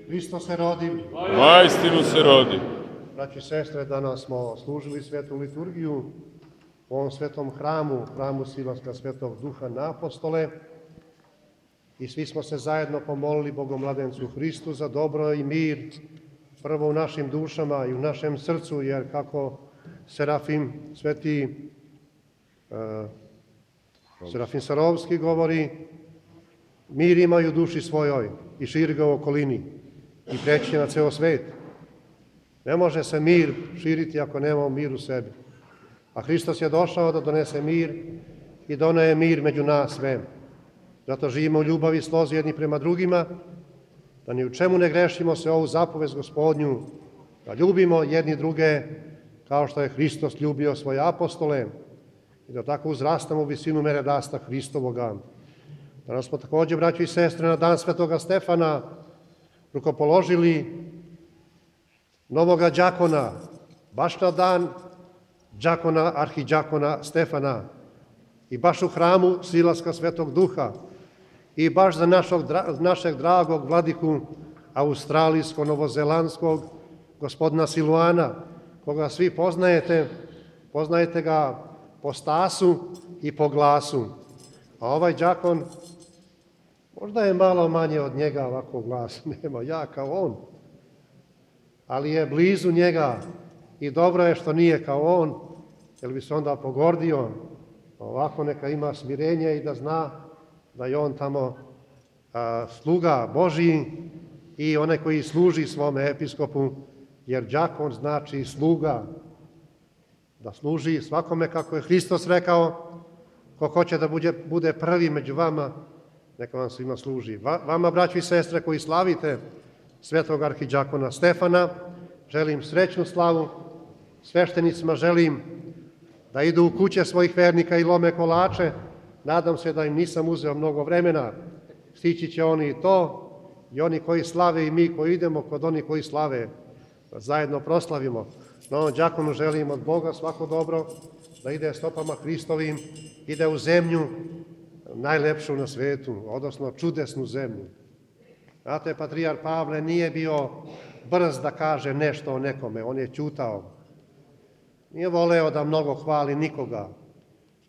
Hristos se rodi. Vaistinu se rodi. Braći i sestre, danas smo služili svetu liturgiju u ovom svetom hramu, hramu Silaska Svetog Duha na apostole, i svi smo se zajedno pomolili Bogomladencu Hristu za dobro i mir, prvo u našim dušama i u našem srcu, jer kako Serafim, sveti Serafim Sarovski govori, mir ima u duši svojoj i širi ga u okolini i preći će na ceo svet. Ne može se mir širiti ako nemamo mir u sebi. A Hristos je došao da donese mir i doneo je mir među nas sve. Zato živimo u ljubavi, slozi jedni prema drugima, da ni u čemu ne grešimo se ovu zapovest Gospodnju, da ljubimo jedni druge kao što je Hristos ljubio svoje apostole i da tako uzrastamo u visinu mere rasta Hristovoga. Danas smo također, braći i sestre, na dan Svetoga Stefana rukopoložili novoga đakona, baš na dan đakona, arhidžakona Stefana i baš u hramu Silaska Svetog Duha i baš za našeg dragog vladiku australijsko-novozelandskog gospodina Siluana, koga svi poznajete, poznajete ga po stasu i po glasu. A ovaj đakon, možda je malo manje od njega ovako glas, nema ja kao on, ali je blizu njega i dobro je što nije kao on, jer bi se onda pogordio. Ovako neka ima smirenje i da zna da je on tamo sluga Božiji i onaj koji služi svome episkopu, jer đakon znači sluga, da služi svakome kako je Hristos rekao, ko hoće da bude prvi među vama, neka vam svima služi. Vama, braći i sestre, koji slavite svetog arhidžakona Stefana, želim srećnu slavu. Sveštenicima želim da idu u kuće svojih vernika i lome kolače. Nadam se da im nisam uzeo mnogo vremena. Stići će oni i to, i oni koji slave i mi koji idemo kod onih koji slave, da zajedno proslavimo. Novom đakonu želim od Boga svako dobro, da ide stopama Hristovim, ide u zemlju najlepšu na svetu, odnosno čudesnu zemlju. Znate, patrijar Pavle nije bio brz da kaže nešto o nekome, on je ćutao. Nije voleo da mnogo hvali nikoga,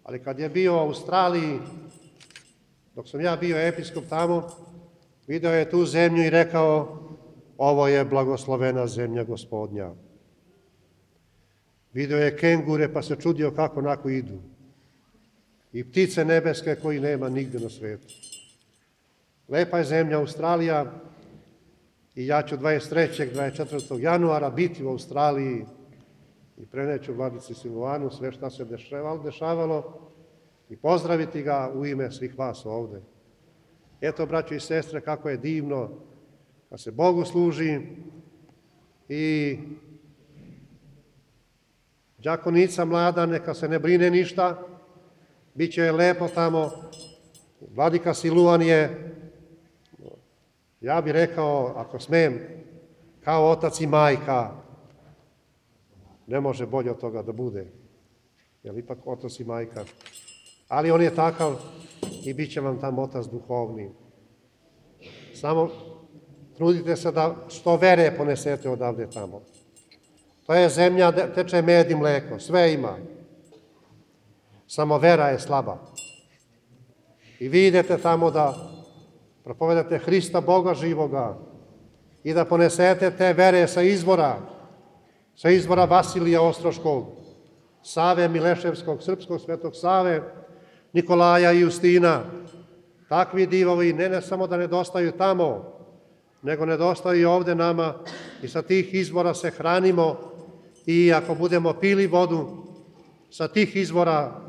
ali kad je bio u Australiji, dok sam ja bio episkop tamo, video je tu zemlju i rekao, ovo je blagoslovena zemlja Gospodnja. Video je kengure pa se čudio kako onako idu. I ptice nebeske koji nema nigde na svetu. Lepa je zemlja Australija i ja ću 23. 24. januara biti u Australiji i preneću vladici Siluanu sve šta se dešavalo i pozdraviti ga u ime svih vas ovde. Eto, braćo i sestre, kako je divno da se Bogu služi i đakonica mlada neka se ne brine ništa, bit će lepo tamo. Vladika Siluan je, ja bih rekao, ako smem, kao otac i majka. Ne može bolje od toga da bude, jer ipak otac i majka. Ali on je takav i bit će vam tam otac duhovni. Samo trudite se da što vere ponesete odavde tamo. To je zemlja, teče med i mleko, sve ima. Samo vera je slaba. I vi idete tamo da propovedate Hrista, Boga živoga, i da ponesete te vere sa izvora Vasilija Ostroškog, Save Mileševskog, Srpskog svetog Save, Nikolaja i Justina. Takvi divovi ne samo da nedostaju tamo, nego nedostaju i ovde nama i sa tih izvora se hranimo i ako budemo pili vodu sa tih izvora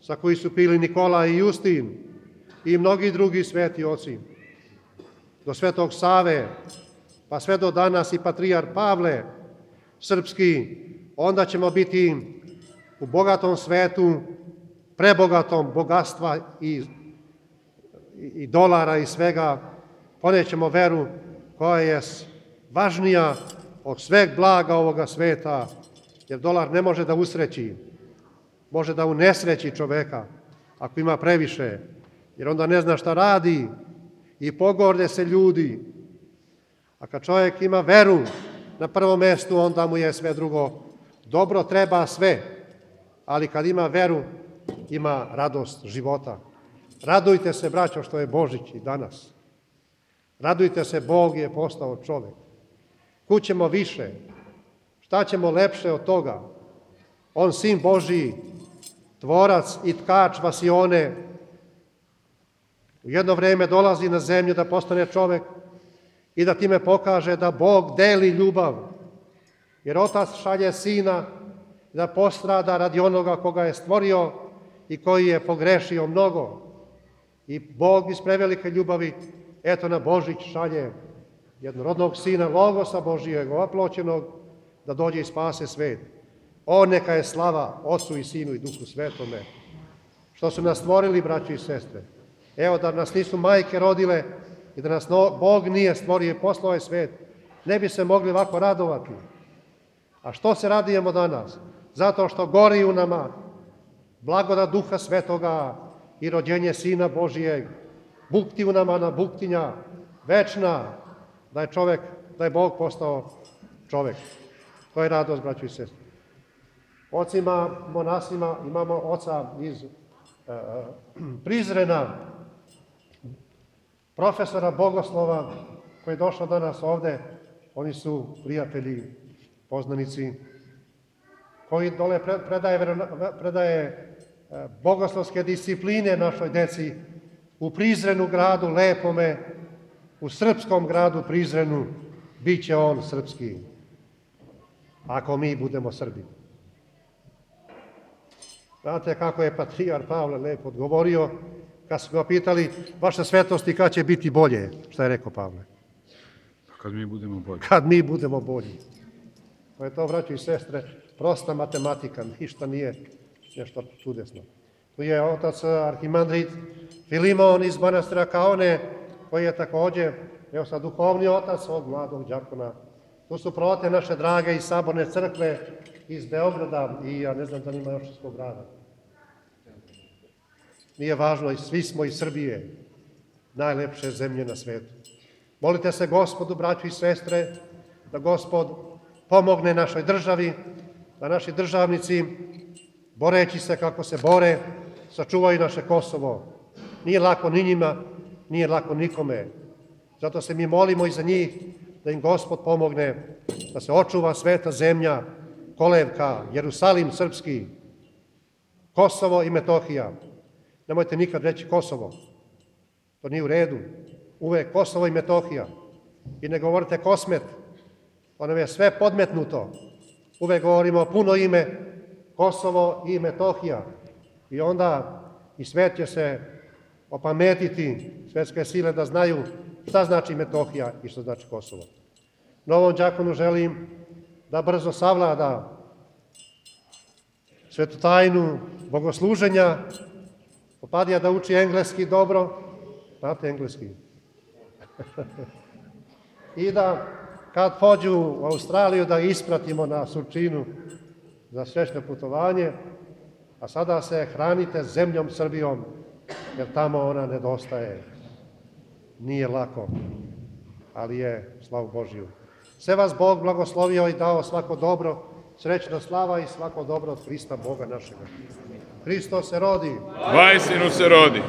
sa koji su pili Nikola i Justin i mnogi drugi sveti oci, do svetog Save, pa sve do danas i patrijar Pavle srpski, onda ćemo biti u bogatom svetu, prebogatom bogatstva i dolara i svega, ponećemo veru koja je važnija od sveg blaga ovoga sveta, jer dolar ne može da usreći, može da unesreći čoveka ako ima previše, jer onda ne zna šta radi i pogorde se ljudi. A kad čovjek ima veru na prvom mjestu, onda mu je sve drugo dobro, treba sve. Ali kad ima veru, ima radost života. Radujte se, braćo, što je Božić i danas. Radujte se, Bog je postao čovjek. Kud ćemo više? Šta ćemo lepše od toga? On, Sin Božiji, tvorac i tkač vasione, u jedno vrijeme dolazi na zemlju da postane čovjek i da time pokaže da Bog deli ljubav. Jer Otac šalje Sina da postrada radi onoga koga je stvorio i koji je pogrešio mnogo. I Bog iz prevelike ljubavi, eto na Božić šalje jednorodnog Sina, Logosa Božijeg, oploćenog, da dođe i spase svet. On neka je slava Otcu i Sinu i Duhu Svetome, što su nas stvorili, braći i sestre. Evo, da nas nisu majke rodile i da nas Bog nije stvorio i poslao je svet, ne bi se mogli ovako radovati. A što se radujemo danas? Zato što gori u nama blagodat Duha Svetoga i rođenje Sina Božijeg, bukti u nama na buktinja, večna, da je Bog postao čovjek. To je radost, braći i sestre. Ocima, monasima, imamo oca iz Prizrena, profesora bogoslova, koji je došao danas ovde. Oni su prijatelji, poznanici, koji dole predaje bogoslovske discipline našoj deci u Prizrenu gradu, lepome, u srpskom gradu Prizrenu, bit će on srpski, ako mi budemo Srbi. Znate kako je patrijar Pavle lepo odgovorio, kad su ga pitali, vaša svetosti, kad će biti bolje? Šta je rekao Pavle? Kad mi budemo bolji. Kad mi budemo bolji. To je to, braći i sestre, prosta matematika, ništa nije nešto čudesno. Tu je otac arhimandrit Filimon iz manastira Kaone, koji je također, evo sad, duhovni otac ovog mladog đakona. Tu su prote naše drage iz Saborne crkve, iz Beograda i ja ne znam da nima još iz kog grada. Nije važno, svi smo iz Srbije, najlepše zemlje na svetu. Molite se Gospodu, braćo i sestre, da Gospod pomogne našoj državi, da naši državnici, boreći se kako se bore, sačuvaju naše Kosovo. Nije lako ni njima, nije lako nikome. Zato se mi molimo i za njih, da im Gospod pomogne, da se očuva sveta zemlja, kolevka, Jerusalim srpski, Kosovo i Metohija. Nemojte nikad reći Kosovo. To nije u redu. Uvek Kosovo i Metohija. I ne govorite Kosmet. To nam je sve podmetnuto. Uvek govorimo puno ime Kosovo i Metohija. I onda i svet će se opametiti, svetske sile da znaju šta znači Metohija i šta znači Kosovo. Novom đakonu želim da brzo savlada svetu tajnu bogosluženja, popadija da uči engleski dobro, znate engleski, i da kad pođu u Australiju da ispratimo na Surčinu za srećno putovanje, a sada se hranite zemljom Srbijom, jer tamo ona nedostaje. Nije lako, ali je, slavu Božiju. Sve vas Bog blagoslovio i dao svako dobro, srećna slava i svako dobro od Hrista Boga našega. Hristos se rodi. Vajstinu se rodi.